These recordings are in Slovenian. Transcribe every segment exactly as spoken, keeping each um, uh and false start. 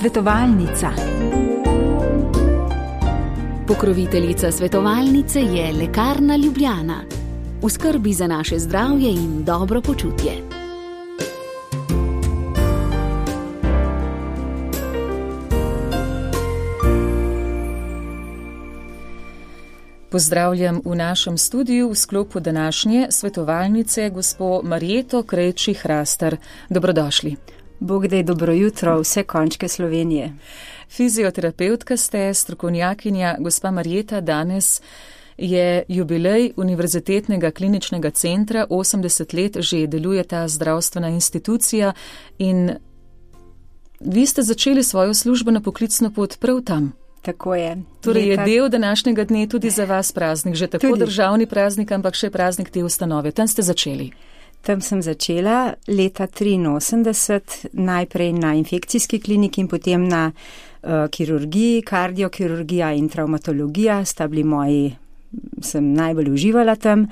Svetovalnica. Pokroviteljica svetovalnice je Lekarna Ljubljana. V skrbi za naše zdravje in dobro počutje. Pozdravljam v našem studiu v sklopu današnje svetovalnice gospo Marjeto Krejči-Hrastar. Dobrodošli. Bog daj, dobro jutro, vse končke Slovenije. Fizioterapeutka ste, strokovnjakinja. Gospa Marjeta, danes je jubilej Univerzitetnega kliničnega centra, osemdeset let že deluje ta zdravstvena institucija in vi ste začeli svojo službeno poklicno pot prav tam. Tako je. Torej je del današnjega dne tudi za vas praznik, že tako tudi državni praznik, ampak še praznik te ustanove. Tam ste začeli. Tam sem začela leta triinosemdeset, najprej na infekcijski kliniki in potem na uh, kirurgiji, kardiokirurgija in travmatologija. Sta bili moji, sem najbolj uživala tam.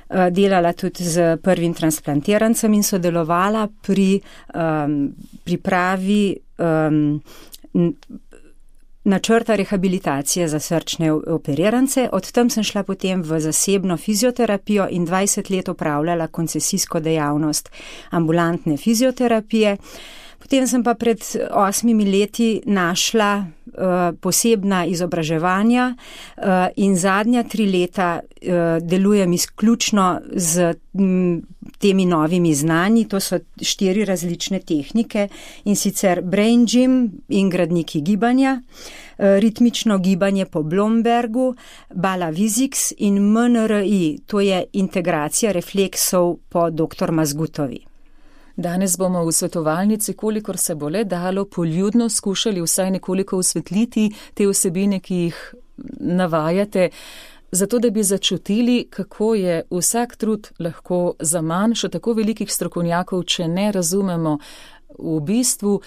Uh, delala tudi z prvim transplantirancem in sodelovala pri um, pripravi um, načrta rehabilitacije za srčne operirance. Od tam sem šla potem v zasebno fizioterapijo in dvajset let opravljala koncesijsko dejavnost ambulantne fizioterapije. Potem sem pa pred osmimi leti našla uh, posebna izobraževanja uh, in zadnja tri leta uh, delujem izključno z m, temi novimi znanji. To so štiri različne tehnike in sicer brain gym in gradniki gibanja, uh, ritmično gibanje po Blombergu, Balaviziks in M N R I, to je integracija refleksov po doktor Mazgutovi. Danes bomo v svetovalnici, kolikor se bo le dalo, poljudno skušali vsaj nekoliko osvetliti te vsebine, ki jih navajate, zato da bi začutili, kako je vsak trud lahko zaman še tako velikih strokovnjakov, če ne razumemo v bistvu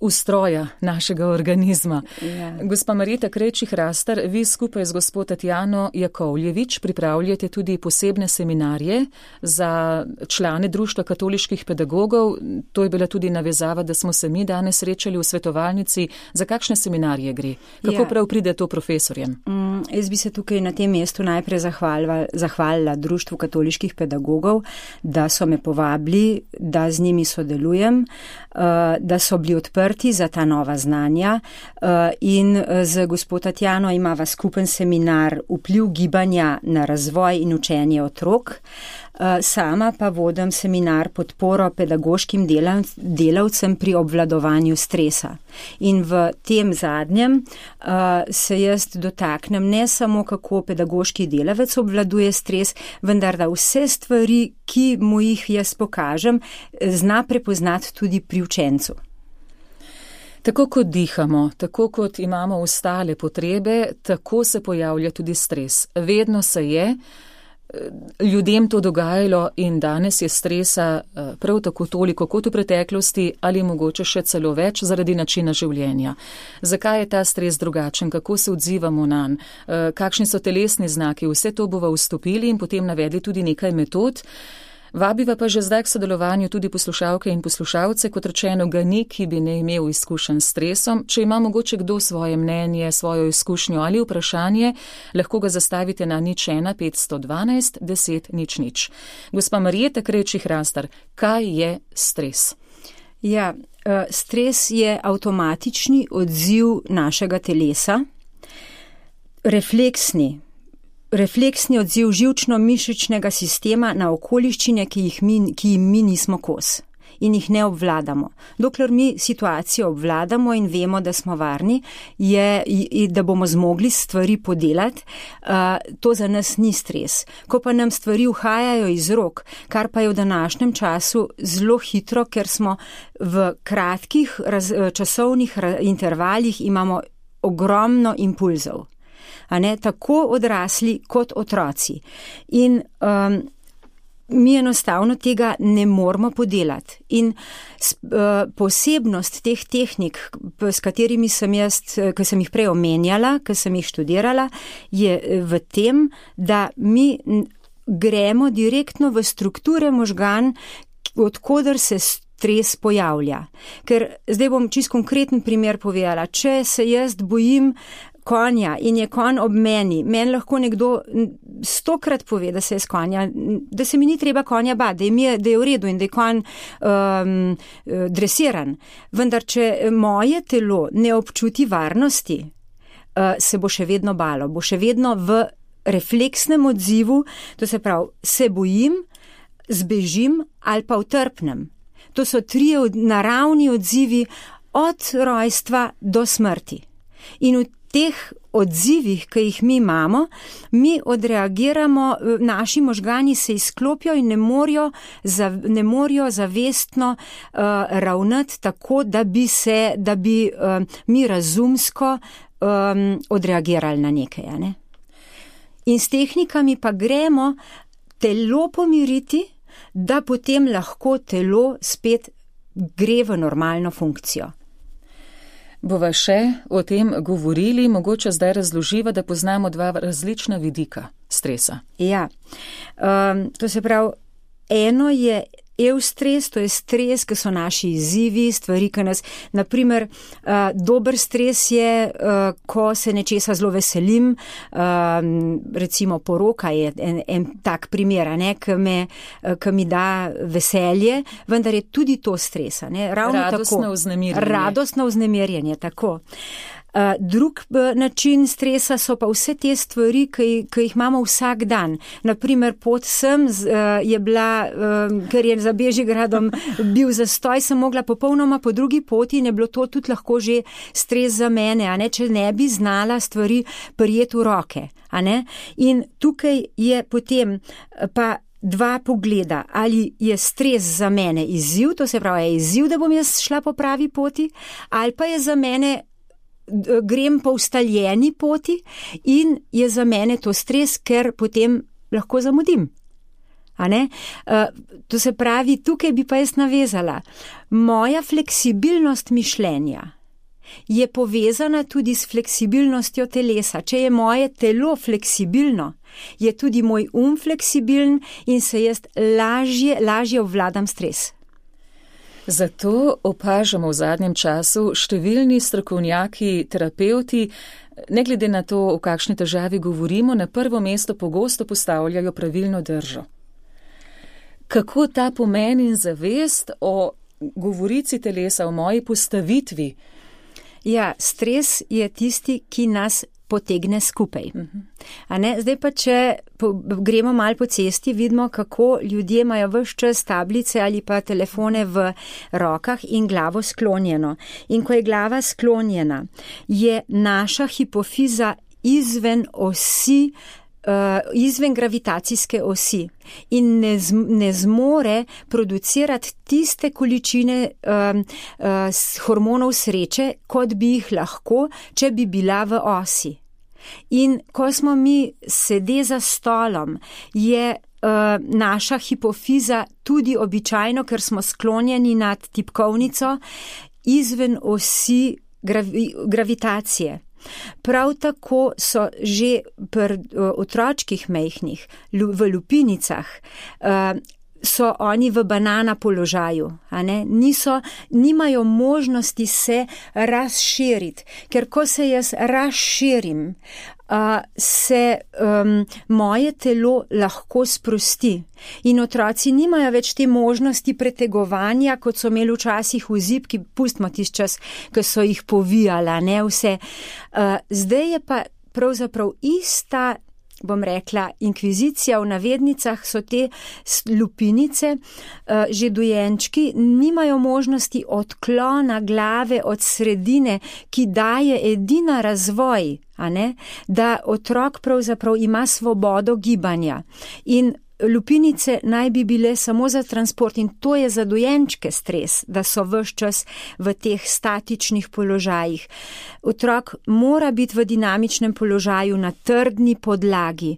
ustroja našega organizma. Ja. Gospa Marjeta Krejči-Hrastar, vi skupaj z gospo Tatjano Jakovljevič pripravljate tudi posebne seminarje za člane Društva katoliških pedagogov. To je bila tudi navezava, da smo se mi danes srečali v svetovalnici. Za kakšne seminarje gre? Kako ja. prav pride to profesorjem? Mm, jaz bi se tukaj na tem mestu najprej zahvalila, zahvalila Društvu katoliških pedagogov, da so me povabili, da z njimi sodelujem, da so bili odprti za ta nova znanja in z gospod Tatjano imava skupen seminar Vpliv gibanja na razvoj in učenje otrok. Sama pa vodim seminar Podporo pedagoškim delavcem pri obvladovanju stresa. In v tem zadnjem se jaz dotaknem ne samo, kako pedagoški delavec obvladuje stres, vendar da vse stvari, ki mu jih jaz pokažem, zna prepoznati tudi pri učencu. Tako kot dihamo, tako kot imamo ostale potrebe, tako se pojavlja tudi stres. Vedno se je ljudem to dogajalo in danes je stresa prav tako toliko kot v preteklosti ali mogoče še celo več zaradi načina življenja. Zakaj je ta stres drugačen, kako se odzivamo nanj, kakšni so telesni znaki, vse to bova vstopili in potem navedli tudi nekaj metod. Vabiva pa že zdaj k sodelovanju tudi poslušalke in poslušalce, kot rečeno ga ni, ki bi ne imel izkušenj s stresom. Če ima mogoče kdo svoje mnenje, svojo izkušnjo ali vprašanje, lahko ga zastavite na nič ena petsto dvanajst deset nič nič. Gospa Marjeta Krejči-Hrastar, kaj je stres? Ja, stres je avtomatični odziv našega telesa, refleksni. Refleksni odziv živčno-mišičnega sistema na okoliščine, ki jih mi, ki jim mi nismo kos in jih ne obvladamo. Dokler mi situacijo obvladamo in vemo, da smo varni, je, da bomo zmogli stvari podelati, to za nas ni stres. Ko pa nam stvari uhajajo iz rok, kar pa je v današnjem času zelo hitro, ker smo v kratkih raz, časovnih intervalih imamo ogromno impulzov. A ne, tako odrasli kot otroci. In um, mi enostavno tega ne moramo podelati. In uh, posebnost teh tehnik, s katerimi sem jaz, ki sem jih prej omenjala, ki sem jih študirala, je v tem, da mi gremo direktno v strukture možgan, odkoder se stres pojavlja. Ker zdaj bom čist konkreten primer povedala. Če se jaz bojim konja in je konj ob meni, meni lahko nekdo stokrat pove, da se je s konja, da se mi ni treba konja bati, da je, da je v redu in da je konj um, dresiran. Vendar, če moje telo ne občuti varnosti, uh, se bo še vedno balo, bo še vedno v refleksnem odzivu, to se pravi, se bojim, zbežim ali pa utrpnem. To so trije naravni odzivi od rojstva do smrti. In v teh odzivih, ki jih mi imamo, mi odreagiramo, naši možgani se izklopijo in ne morajo, ne morajo zavestno uh, ravnati tako, da bi se, da bi uh, mi razumsko um, odreagirali na nekaj, ne? In s tehnikami pa gremo telo pomiriti, da potem lahko telo spet gre v normalno funkcijo. Bova še o tem govorili, mogoče zdaj razloživa, da poznamo dva različna vidika stresa. Ja, um, to se pravi, eno je eustres, to je stres, ki so naši izzivi, stvari, ki nas, naprimer, uh, dober stres je, uh, ko se nečesa zelo veselim, uh, recimo poroka je en, en tak primer, ne, ki, me, ki mi da veselje, vendar je tudi to stresa. Ne, ravno radostno tako, vznemirjenje. Radostno vznemirjenje, tako. Uh, drug uh, način stresa so pa vse te stvari, ki, ki jih imamo vsak dan. Naprimer, pot sem z, uh, je bila, uh, ker je za Bežigradom bil zastoj, sem mogla popolnoma po drugi poti in je bilo to tudi lahko že stres za mene, a ne, če ne bi znala stvari prijeti v roke. A ne? In tukaj je potem pa dva pogleda, ali je stres za mene izziv, to se pravi, je izziv, da bom jaz šla po pravi poti, ali pa je za mene grem po ustaljeni poti in je za mene to stres, ker potem lahko zamudim. A ne? Uh, to se pravi, tukaj bi pa jaz navezala. Moja fleksibilnost mišljenja je povezana tudi s fleksibilnostjo telesa. Če je moje telo fleksibilno, je tudi moj um fleksibilen in se jaz lažje, lažje obvladam stres. Zato opažamo v zadnjem času številni strokovnjaki, terapevti, ne glede na to, o kakšni težavi govorimo, na prvo mesto pogosto postavljajo pravilno držo. Kako ta pomen in zavest o govorici telesa, o moji postavitvi? Ja, stres je tisti, ki nas potegne skupaj. A ne? Zdaj pa, če po, gremo malo po cesti, vidimo, kako ljudje imajo ves čas tablice ali pa telefone v rokah in glavo sklonjeno. In ko je glava sklonjena, je naša hipofiza izven osi, uh, izven gravitacijske osi in ne, z, ne zmore producirati tiste količine um, uh, hormonov sreče, kot bi jih lahko, če bi bila v osi. In ko smo mi sede za stolom, je uh, naša hipofiza tudi običajno, ker smo sklonjeni nad tipkovnico, izven osi gravi, gravitacije. Prav tako so že pri uh, otročkih mejhnih, v lupinicah, uh, so oni v banana položaju, a ne? Niso, nimajo možnosti se razširiti, ker ko se jaz razširim, uh, se um, moje telo lahko sprosti. In otroci nimajo več te možnosti pretegovanja, kot so imeli včasih v zibki, pustimo tisti čas, ko so jih povijala, ne vse. Uh, zdaj je pa pravzaprav ista, bom rekla, inkvizicija v navednicah, so te lupinice, uh, že dojenčki nimajo možnosti odklona glave od sredine, ki daje edina razvoj, a ne, da otrok pravzaprav ima svobodo gibanja. In lupinice naj bi bile samo za transport in to je za dojenčke stres, da so ves čas v teh statičnih položajih. Otrok mora biti v dinamičnem položaju na trdni podlagi,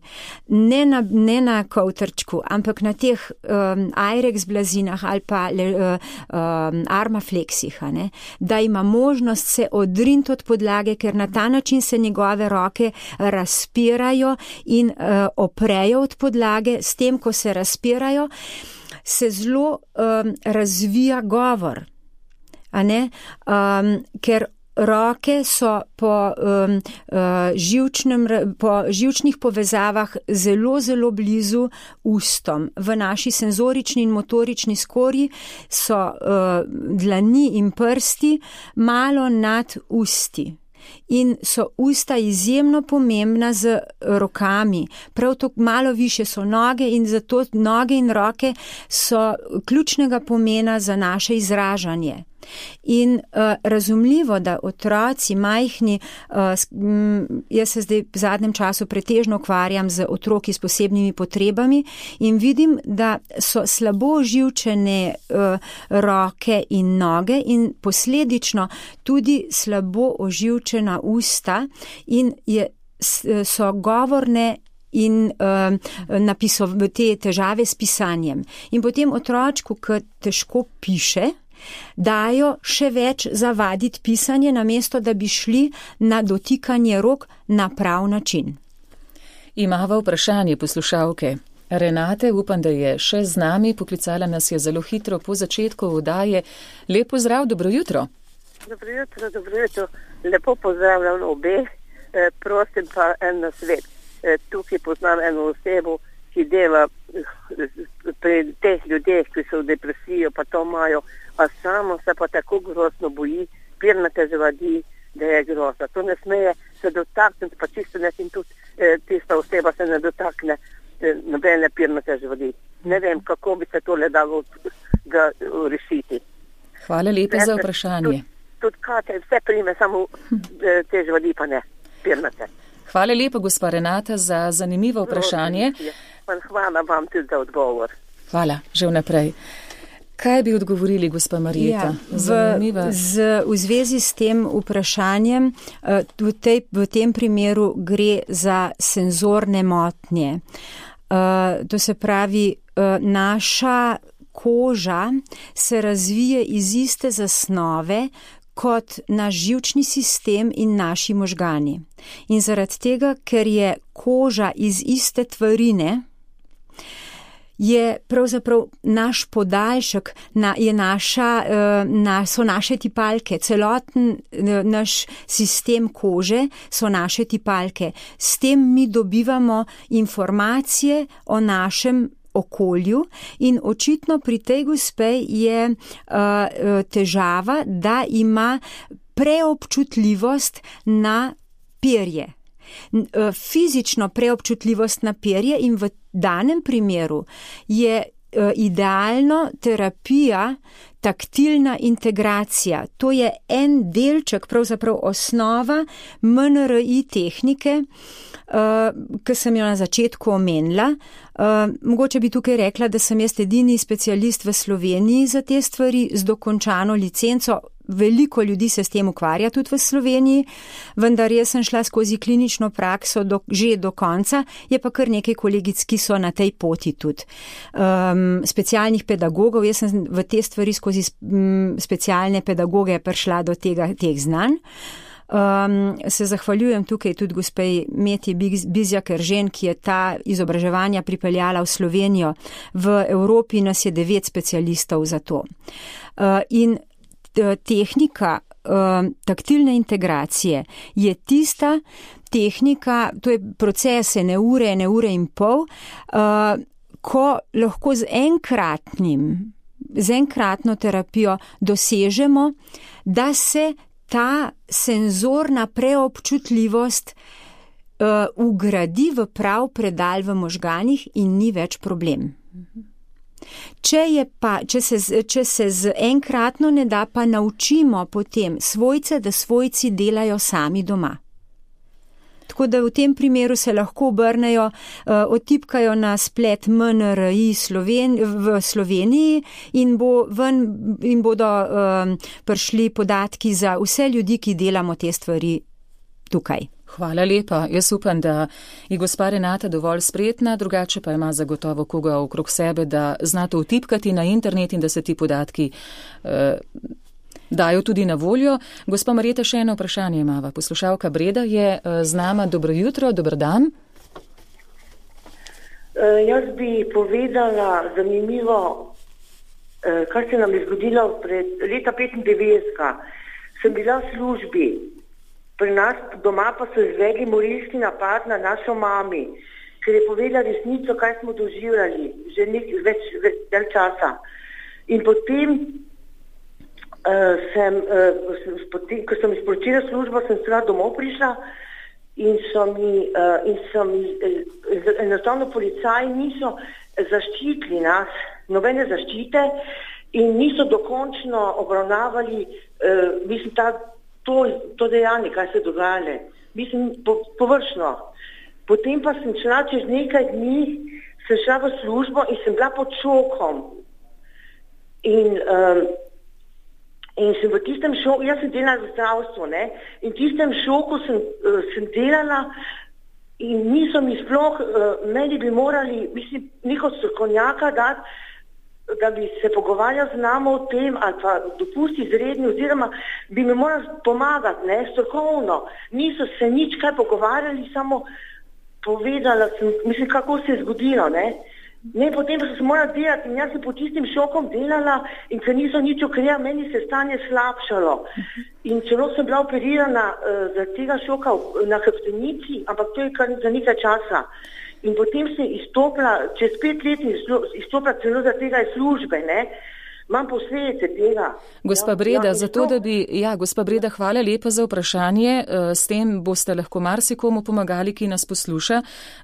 ne na, ne na kovtrčku, ampak na teh um, Airex blazinah ali pa le, um, armafleksih, a ne? Da ima možnost se odriniti od podlage, ker na ta način se njegove roke razpirajo in uh, oprejo od podlage, s tem, ko se razpirajo, se zelo um, razvija govor, a ne, um, ker roke so po, um, uh, živčnem, po živčnih povezavah zelo, zelo blizu ustom. V naši senzorični in motorični skorji so uh, dlani in prsti malo nad usti. In so usta izjemno pomembna z rokami. Prav to malo više so noge in zato noge in roke so ključnega pomena za naše izražanje. In uh, razumljivo, da otroci majhni, uh, jaz se zdaj v zadnjem času pretežno ukvarjam z otroki s posebnimi potrebami in vidim, da so slabo oživčene uh, roke in noge in posledično tudi slabo oživčena usta in je, so govorne in uh, napisov, te težave s pisanjem. In potem otročku, ki težko piše, dajo še več zavaditi pisanje, namesto da bi šli na dotikanje rok na prav način. Imava vprašanje poslušalke. Renate, upam, da je še z nami, poklicala nas je zelo hitro po začetku oddaje. Lep pozdrav, dobro jutro. Dobro jutro, dobro jutro. Lepo pozdravljam obe. E, prosim pa en nasvet. E, tukaj poznam eno osebo, ki dela pri teh ljudeh, ki so v depresijo, pa to imajo, a samo se pa tako grozno boji, pirnate živadi, da je grozno. To ne smeje se dotakniti, pa čisto ne in tudi eh, tista oseba se ne dotakne eh, nobene pirnate živadi. Ne vem, kako bi se tole dalo ga rešiti. Hvala lepa za vprašanje. Tudi tud kate, vse prime, samo eh, te živadi pa ne, pirnate. Hvala lepa, gospa Renata, za zanimivo vprašanje. Hvala vam tudi za odgovor. Hvala, že vnaprej. Kaj bi odgovorili, gospa Marjeta? Ja, v, z, v zvezi s tem vprašanjem, v, tej, v tem primeru gre za senzorne motnje. To se pravi, naša koža se razvije iz iste zasnove kot naš živčni sistem in naši možgani. In zaradi tega, ker je koža iz iste tvarine, je pravzaprav naš podaljšek, na, je naša, na, so naše tipalke, celoten naš sistem kože so naše tipalke. S tem mi dobivamo informacije o našem okolju in očitno pri tej gospe je uh, težava, da ima preobčutljivost na perje. Fizično preobčutljivost na perje in v danem primeru je idealno terapija taktilna integracija. To je en delček, pravzaprav osnova M N R I tehnike, ki sem jo na začetku omenila. Mogoče bi tukaj rekla, da sem jaz edini specialist v Sloveniji za te stvari z dokončano licenco. Veliko ljudi se s tem ukvarja tudi v Sloveniji, vendar jaz sem šla skozi klinično prakso do, že do konca, je pa kar nekaj kolegic, ki so na tej poti tudi. Um, specialnih pedagogov, jaz sem v te stvari skozi um, specialne pedagoge prišla do tega, teh znanj. Um, se zahvaljujem tukaj tudi gospej Meti Bizjak-Eržen, ki je ta izobraževanja pripeljala v Slovenijo. V Evropi nas je devet specialistov za to. Uh, in tehnika uh, taktilne integracije je tista tehnika, to je proces ene ure, ene ure in pol, uh, ko lahko z enkratnim, z enkratno terapijo dosežemo, da se ta senzorna preobčutljivost uh, ugradi v prav predal v možganih in ni več problem. Če, je pa, če, se, če se z enkratno ne da, pa naučimo potem svojce, da svojci delajo sami doma. Tako da v tem primeru se lahko obrnejo, uh, otipkajo na splet M N R I Sloven, v Sloveniji in, bo ven, in bodo um, prišli podatki za vse ljudi, ki delamo te stvari tukaj. Hvala lepa. Jaz upam, da je gospa Renata dovolj spretna, drugače pa ima zagotovo koga okrog sebe, da zna to vtipkati na internet in da se ti podatki eh, dajo tudi na voljo. Gospa Marjeta, še eno vprašanje imava. Poslušalka Breda je eh, z nama. Dobro jutro, dober dan. Uh, jaz bi povedala zanimivo, uh, kar se nam je zgodilo pred leta petindevetdeset. Sem bila v službi, pri nas doma pa so izvedli morilski napad na našo mami, ker je povedala resnico, kaj smo doživljali že nek, več, več del časa. In potem, uh, sem, uh, potem, ko sem izporočila službo, sem seveda domov prišla in so mi, uh, in so mi uh, enostavno policaji niso zaščitili nas, nobene zaščite in niso dokončno obravnavali uh, mislim, ta, to, to dejanje, kaj se dogajale. Mislim, po, površno. Potem pa sem šla čez nekaj dni, sem šla v službo in sem bila pod šokom. In, um, in sem v tistem šoku, jaz sem delala v zdravstvu, ne, in v tistem šoku sem, uh, sem delala in niso mi sploh, uh, meni bi morali, mislim, neko strokovnjaka dati, da bi se pogovarjal z nami o tem, ali pa dopusti izredni, oziroma bi mi morali pomagati, ne, strokovno. Niso se nič kaj pogovarjali, samo povedala sem, mislim, kako se je zgodilo, ne. Ne, potem pa sem se morala delati in jaz sem pod tistim šokom delala in ker niso nič ukrepali, meni se stanje slabšalo. In celo sem bila operirana uh, za tega šoka na hrbtenici, ampak to je kar za nekaj časa. In potem sem izstopila, čez pet let izstopila celo za tega službe, ne. Imam posledice tega. Gospa Breda, ja, zato, da bi, ja, gospa Breda, hvala lepa za vprašanje. S tem boste lahko marsikomu pomagali, ki nas posluša.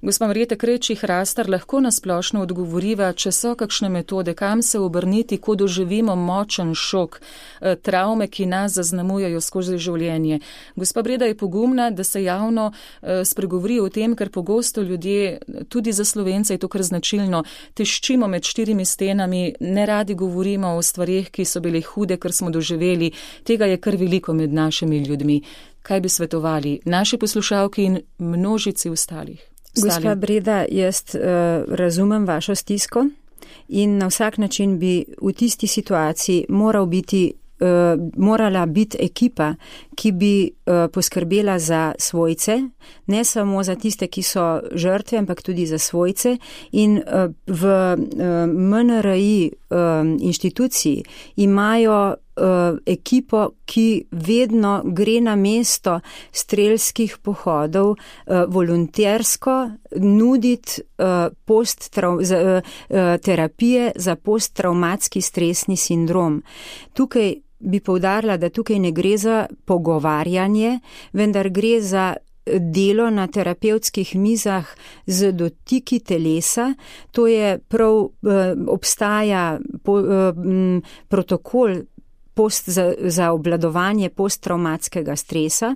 Gospa Marjeta Krejčih-Rastar, lahko nasplošno odgovoriva, če so kakšne metode, kam se obrniti, ko doživimo močen šok, travme, ki nas zaznamujajo skozi življenje. Gospa Breda je pogumna, da se javno spregovori o tem, ker pogosto ljudje, tudi za Slovence je to kar značilno, teščimo med štirimi stenami, ne radi govorimo o stvarih, ki so bile hude, kar smo doživeli. Tega je kar veliko med našimi ljudmi. Kaj bi svetovali naši poslušalki in množici ostalih? Gospa Breda, jaz uh, razumem vašo stisko in na vsak način bi v tisti situaciji moral biti Uh, morala biti ekipa, ki bi uh, poskrbela za svojce, ne samo za tiste, ki so žrtve, ampak tudi za svojce. In uh, v uh, M N R I uh, inštituciji imajo uh, ekipo, ki vedno gre na mesto strelskih pohodov, uh, volontersko nuditi uh, post-traum, za, uh, uh, terapije za posttravmatski stresni sindrom. Tukaj bi poudarila, da tukaj ne gre za pogovarjanje, vendar gre za delo na terapevtskih mizah z dotiki telesa. To je prav, obstaja protokol post, za, za obvladovanje posttravmatskega stresa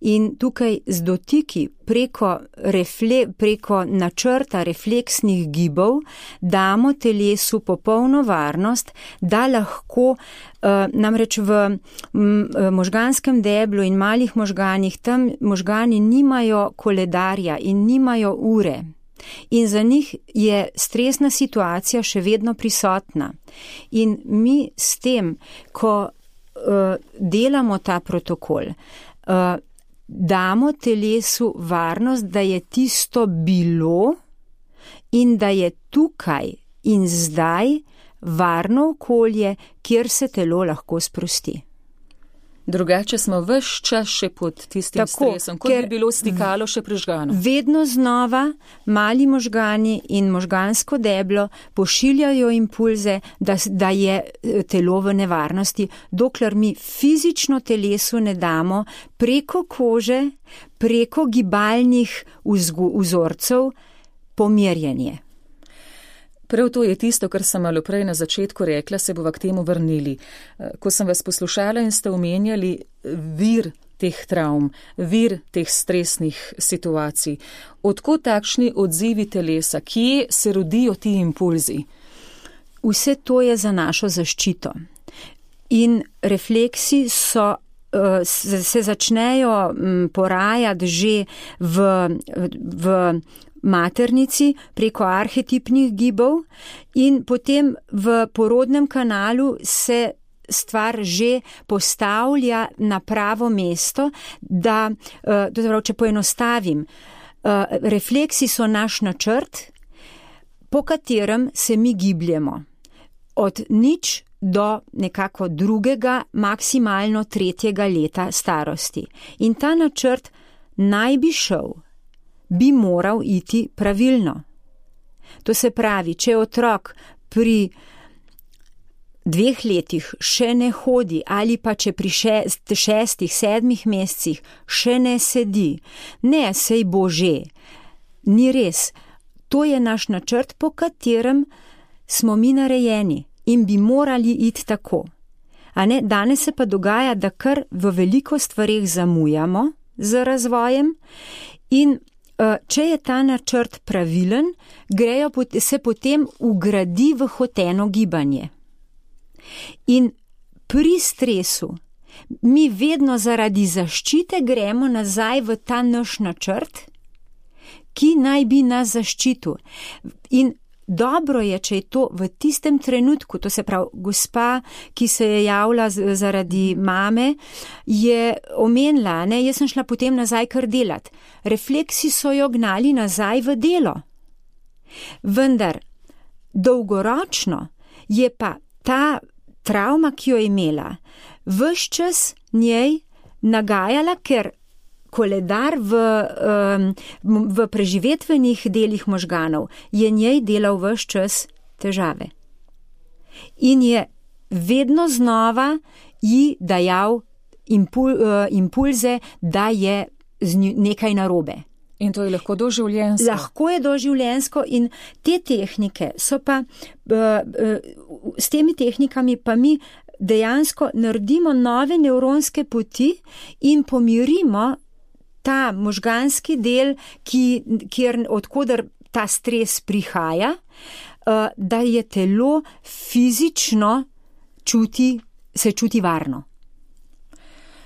in tukaj z dotiki preko, refle, preko načrta refleksnih gibov damo telesu popolno varnost, da lahko uh, namreč v m, možganskem deblu in malih možganih, tam možgani nimajo koledarja in nimajo ure. In za njih je stresna situacija še vedno prisotna. In mi s tem, ko uh, delamo ta protokol, uh, damo telesu varnost, da je tisto bilo in da je tukaj in zdaj varno okolje, kjer se telo lahko sprosti. Drugače smo ves čas še pod tistim Tako, stresom, kot bi bilo stikalo še prižgano. Vedno znova mali možgani in možgansko deblo pošiljajo impulze, da, da je telo v nevarnosti, dokler mi fizično telesu ne damo preko kože, preko gibalnih vzorcev pomirjenje. Prav to je tisto, kar sem malo prej na začetku rekla, se bova k temu vrnili. Ko sem vas poslušala in ste omenjali vir teh travm, vir teh stresnih situacij, odkot takšni odzivi telesa, kje se rodijo ti impulzi? Vse to je za našo zaščito. In refleksi so, se začnejo porajati že v, v maternici preko arhetipnih gibov in potem v porodnem kanalu se stvar že postavlja na pravo mesto, da, to zaprav, če poenostavim, refleksi so naš načrt, po katerem se mi gibljemo. Od nič do nekako drugega, maksimalno tretjega leta starosti. In ta načrt naj bi šel, bi moral iti pravilno. To se pravi, če otrok pri dveh letih še ne hodi ali pa če pri šest, šestih, sedmih mesecih še ne sedi, ne, sej bo že. Ni res. To je naš načrt, po katerem smo mi narejeni in bi morali iti tako. A ne, danes se pa dogaja, da kar v veliko stvareh zamujamo z razvojem in če je ta načrt pravilen, grejo, se potem ugradi v hoteno gibanje. In pri stresu mi vedno zaradi zaščite gremo nazaj v ta naš načrt, ki naj bi nas zaščitil. In dobro je, če je to v tistem trenutku, to se pravi, gospa, ki se je javila zaradi mame, je omenila, ne, jaz sem šla potem nazaj kar delat. Refleksi so jo gnali nazaj v delo. Vendar dolgoročno je pa ta travma, ki jo je imela, ves čas njej nagajala, ker koledar v, v preživetvenih delih možganov je njej delal ves čas težave. In je vedno znova ji dajal impul, impulze, da je nekaj narobe. In to je lahko doživljenjsko. Lahko je doživljenjsko in te tehnike so pa, s temi tehnikami pa mi dejansko naredimo nove nevronske poti in pomirimo ta možganski del, ki, kjer, odkudar ta stres prihaja, da je telo fizično čuti, se čuti varno.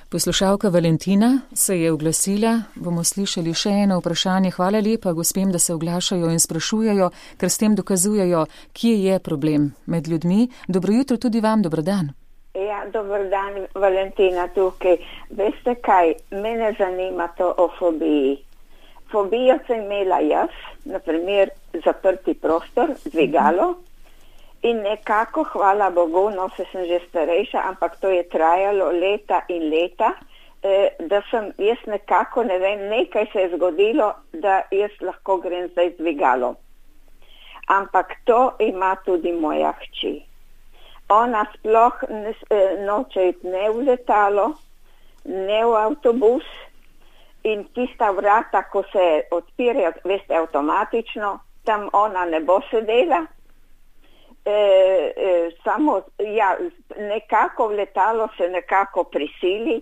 Poslušalka Valentina se je oglasila, bomo slišali še eno vprašanje. Hvala lepa gospem, da se oglašajo in sprašujejo, ker s tem dokazujejo, kje je problem med ljudmi. Dobro jutro tudi vam, dober dan. Ja, dober dan, Valentina tukaj. Veste kaj, mene zanima to o fobiji. Fobijo sem imela jaz, naprimer zaprti prostor, dvigalo, in nekako, hvala Bogu, no se sem že starejša, ampak to je trajalo leta in leta, eh, da sem jaz nekako, ne vem, nekaj se je zgodilo, da jaz lahko grem zdaj dvigalo. Ampak to ima tudi moja hči. Ona sploh ne, noče iti ne v letalo, ne v avtobus in tista vrata, ko se odpirajo, veste, avtomatično, tam ona ne bo sedela. E, e, samo, ja, nekako v letalo se nekako prisili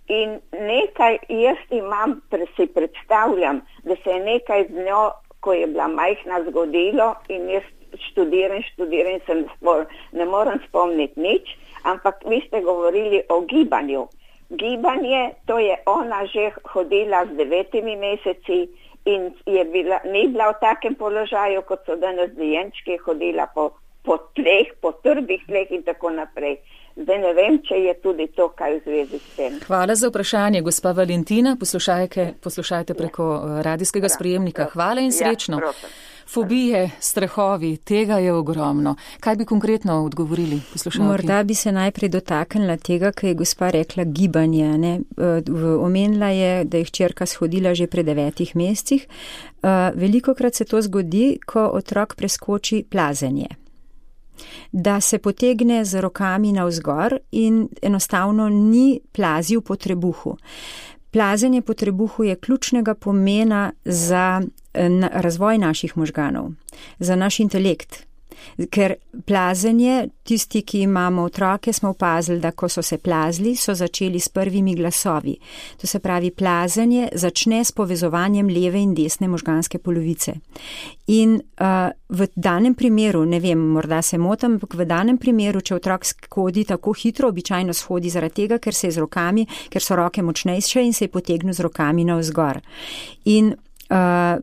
in nekaj jaz imam, si predstavljam, da se je nekaj z njo, ko je bila majhna, zgodilo in jaz študiram, študiram, se ne, spor, ne moram spomniti nič, ampak vi ste govorili o gibanju. Gibanje, to je ona že hodila z devetimi meseci in je bila, ni bila v takem položaju, kot so danes dojenčki, hodila po, po tleh, po trdih tleh in tako naprej. Zdaj ne vem, če je tudi to kaj v zvezi s tem. Hvala za vprašanje, gospa Valentina. Poslušajte, poslušajte preko radijskega sprejemnika. Hvala in srečno. Ja, fobije, strahovi, tega je ogromno. Kaj bi konkretno odgovorili poslušalki? Morda bi se najprej dotaknila tega, kaj je gospa rekla gibanje. Ne? Omenila je, da je hčerka shodila že pri devetih mesecih. Velikokrat se to zgodi, ko otrok preskoči plazenje. Da se potegne z rokami navzgor in enostavno ni plazil po trebuhu. Plazenje po trebuhu je ključnega pomena za razvoj naših možganov, za naš intelekt. Ker plazenje, tisti, ki imamo otroke, smo opazili, da ko so se plazili, so začeli s prvimi glasovi. To se pravi, plazenje začne s povezovanjem leve in desne možganske polovice. In uh, v danem primeru, ne vem, morda se motam, ampak v danem primeru, če otrok shodi tako hitro, običajno shodi zaradi tega, ker se je z rokami, ker so roke močnejše in se je potegnil z rokami navzgor. In Uh,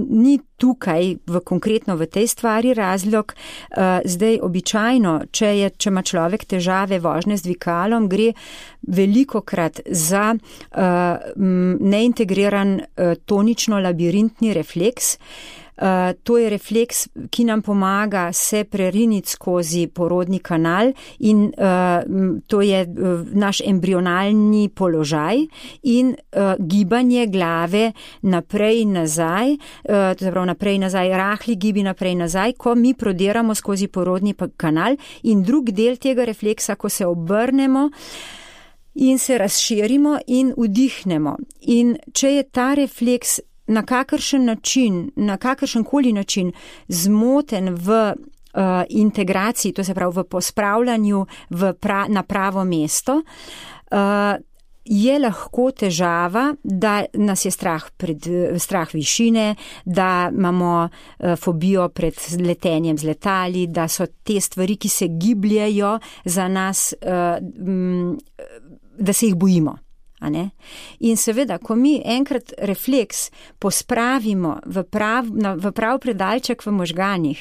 ni tukaj v konkretno v tej stvari razlog. Uh, zdaj običajno, če, je, če ima človek težave vožnje z dvigalom, gre velikokrat za uh, neintegriran uh, tonično-labirintni refleks. Uh, to je refleks, ki nam pomaga se preriniti skozi porodni kanal in uh, to je uh, naš embrionalni položaj in uh, gibanje glave naprej in nazaj, uh, to je prav naprej in nazaj, rahli gibi naprej in nazaj, ko mi prodiramo skozi porodni kanal in drug del tega refleksa, ko se obrnemo in se razširimo in vdihnemo. In če je ta refleks na kakršen način, na kakršen koli način zmoten v uh, integraciji, to se pravi v pospravljanju v pra, na pravo mesto, uh, je lahko težava, da nas je strah pred, strah višine, da imamo uh, fobijo pred letenjem z letali, da so te stvari, ki se gibljajo za nas, uh, m, da se jih bojimo. A ne? In seveda, ko mi enkrat refleks pospravimo v prav, na, v prav predalček v možganih,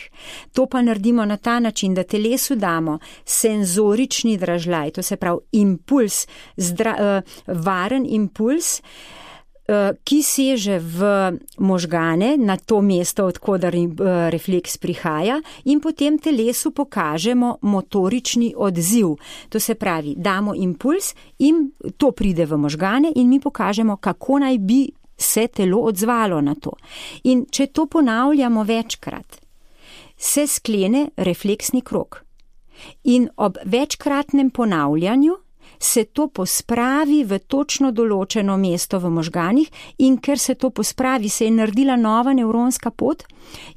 to pa naredimo na ta način, da telesu damo senzorični dražljaj, to se pravi impuls, zdra, uh, varen impuls, ki seže v možgane, na to mesto, odkudar refleks prihaja, in potem telesu pokažemo motorični odziv. To se pravi, damo impuls in to pride v možgane in mi pokažemo, kako naj bi se telo odzvalo na to. In če to ponavljamo večkrat, se sklene refleksni krog. In ob večkratnem ponavljanju se to pospravi v točno določeno mesto v možganih in ker se to pospravi, se je naredila nova nevronska pot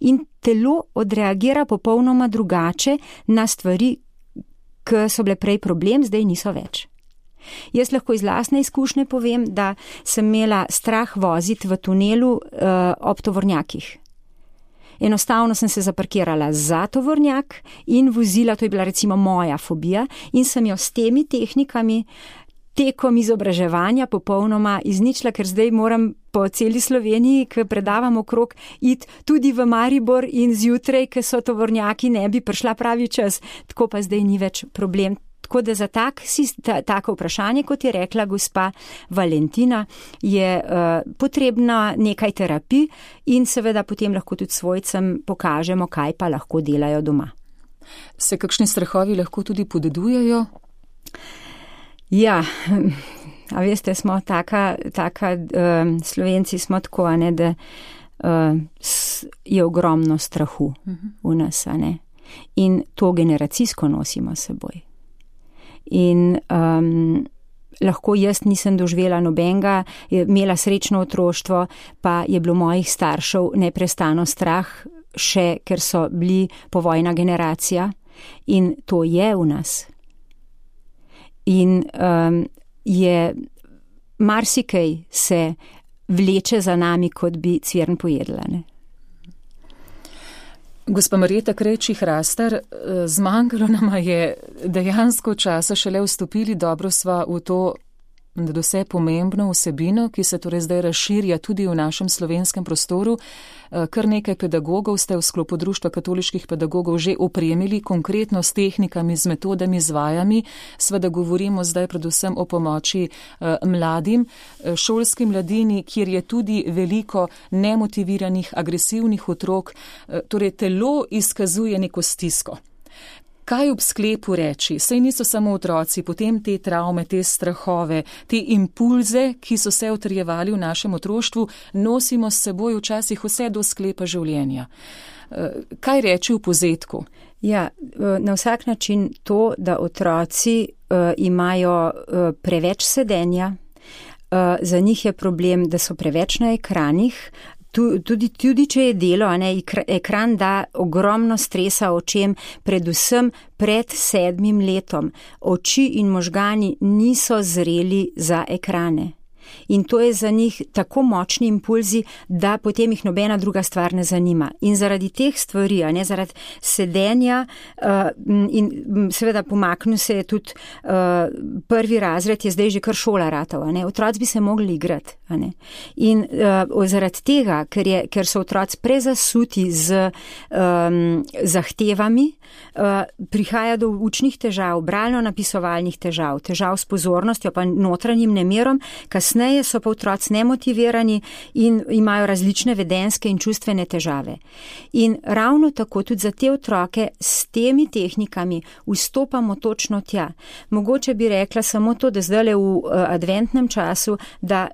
in telo odreagira popolnoma drugače na stvari, ki so bile prej problem, zdaj niso več. Jaz lahko iz lastne izkušnje povem, da sem imela strah voziti v tunelu uh, ob tovornjakih. Enostavno sem se zaparkirala za tovornjak in vozila, to je bila recimo moja fobija, in sem jo s temi tehnikami tekom izobraževanja popolnoma izničila, ker zdaj moram po celi Sloveniji, ki predavam okrog, iti tudi v Maribor in zjutraj, ker so tovornjaki, ne bi prišla pravi čas, tako pa zdaj ni več problem. Tako da za tak, ta, tako vprašanje, kot je rekla gospa Valentina, je uh, potrebna nekaj terapij in seveda potem lahko tudi svojcem pokažemo, kaj pa lahko delajo doma. Se kakšni strahovi lahko tudi podedujejo? Ja, a veste, smo taka, taka uh, Slovenci smo tako, a ne, da uh, je ogromno strahu uh-huh. v nas, a ne. In to generacijsko nosimo s seboj. In um, lahko jaz nisem doživela nobenega, imela srečno otroštvo, pa je bilo mojih staršev neprestano strah, še ker so bili povojna generacija in to je v nas. In um, je marsikaj se vleče za nami, kot bi cvern pojedla, ne. Gospa Marjeta Krejčih-Rastar, zmanjkalo nama je dejansko časa, šele vstopili, dobro sva v to nadvse pomembno vsebino, ki se torej zdaj razširja tudi v našem slovenskem prostoru. Kar nekaj pedagogov ste v sklopu Društva katoliških pedagogov že opremili konkretno s tehnikami, z metodami, z vajami. Sveda govorimo zdaj predvsem o pomoči mladim, šolski mladini, kjer je tudi veliko nemotiviranih, agresivnih otrok, torej telo izkazuje neko stisko. Kaj ob sklepu reči? Saj niso samo otroci, potem te travme, te strahove, te impulze, ki so se utrjevali v našem otroštvu, nosimo s seboj včasih vse do sklepa življenja. Kaj reči v povzetku? Ja, na vsak način to, da otroci uh, imajo uh, preveč sedenja, uh, za njih je problem, da so preveč na ekranih. Tudi, tudi če je delo, a ne, ekran da ogromno stresa očem, predvsem pred sedmim letom. Oči in možgani niso zreli za ekrane. In to je za njih tako močni impulzi, da potem jih nobena druga stvar ne zanima. In zaradi teh stvari, a ne, zaradi sedenja uh, in seveda pomaknil se je tudi uh, prvi razred, je zdaj že kar šola ratov, a ne, otroci bi se mogli igrati, a ne. In uh, zaradi tega, ker, je, ker so otroci prezasuti z um, zahtevami, uh, prihaja do učnih težav, bralno-napisovalnih težav, težav s pozornostjo, pa notranjim nemirom, kasneje kasneje so pa otroci nemotivirani in imajo različne vedenjske in čustvene težave. In ravno tako tudi za te otroke s temi tehnikami vstopamo točno tja. Mogoče bi rekla samo to, da zdaj v adventnem času, da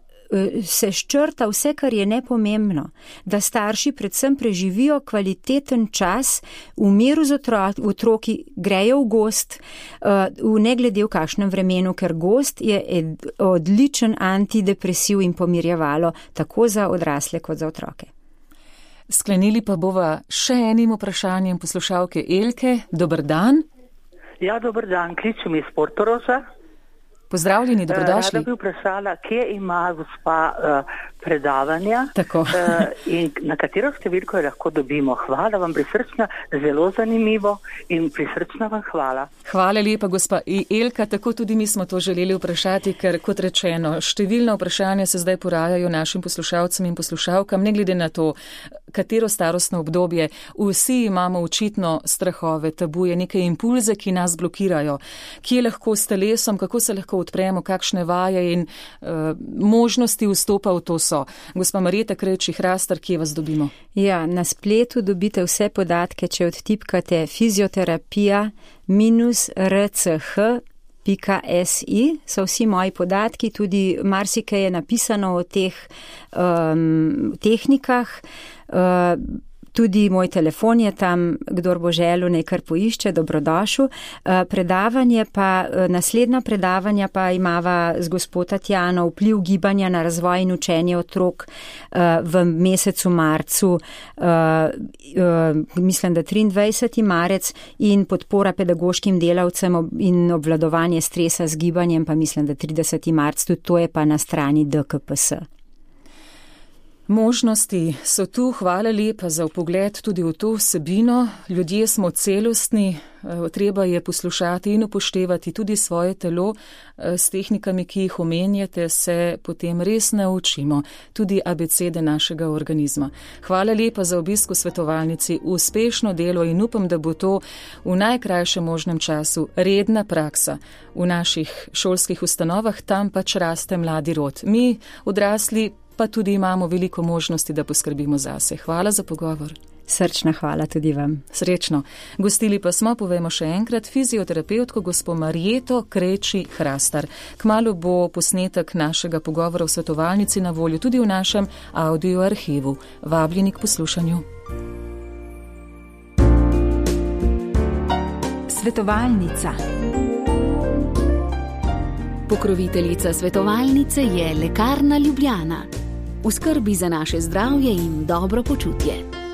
se ščrta vse, kar je nepomembno, da starši predvsem preživijo kvaliteten čas v miru z otroki, otroki grejo v gost, v ne glede v kakšnem vremenu, ker gost je odličen antidepresiv in pomirjevalo tako za odrasle kot za otroke. Sklenili pa bova še enim vprašanjem poslušalke Elke. Dober dan. Ja, dober dan, kličem iz Portoroža. Pozdravljeni, dobrodošli. Rada bi vprašala, kje ima gospa uh, predavanja uh, in na katero številko jo lahko dobimo. Hvala vam prisrčna, zelo zanimivo in prisrčna vam hvala. Hvala lepa, gospa Elka, tako tudi mi smo to želeli vprašati, ker kot rečeno, številna vprašanja se zdaj porajajo našim poslušalcem in poslušalkam, ne glede na to, katero starostno obdobje. Vsi imamo očitno strahove, tabuje, neke impulze, ki nas blokirajo. Kje lahko s telesom, kako se lahko odpremo, kakšne vaje in uh, možnosti vstopa v to so. Gospa Marjeta Krejči-Hrastar, kje vas dobimo? Ja, na spletu dobite vse podatke, če odtipkate fizioterapija minus r c h pika s i, so vsi moji podatki, tudi marsikaj je napisano o teh um, tehnikah. Uh, Tudi moj telefon je tam, kdor bo želel, naj kar poišče, dobrodošel. Predavanje pa, naslednja predavanja pa imava z gospod Tatjano vpliv gibanja na razvoj in učenje otrok v mesecu marcu, mislim, da triindvajseti marec, in podpora pedagoškim delavcem in obvladovanje stresa z gibanjem pa mislim, da trideseti marec, tudi to je pa na strani D K P S. Možnosti so tu, hvala lepa za vpogled tudi v to vsebino. Ljudje smo celostni, treba je poslušati in upoštevati tudi svoje telo. S tehnikami, ki jih omenjate, se potem res naučimo tudi abecede našega organizma. Hvala lepa za obisk v svetovalnici, uspešno delo in upam, da bo to v najkrajšem možnem času redna praksa v naših šolskih ustanovah, tam pač raste mladi rod. Mi, odrasli, pa tudi imamo veliko možnosti, da poskrbimo zase. Hvala za pogovor. Srčna hvala tudi vam. Srečno. Gostili pa smo, povemo še enkrat, fizioterapevtko gospo Marjeto Krejči-Hrastar. Kmalu bo posnetek našega pogovora v svetovalnici na voljo tudi v našem audio arhivu. Vabljeni k poslušanju. Svetovalnica. Pokroviteljica svetovalnice je Lekarna Ljubljana. V skrbi za naše zdravje in dobro počutje.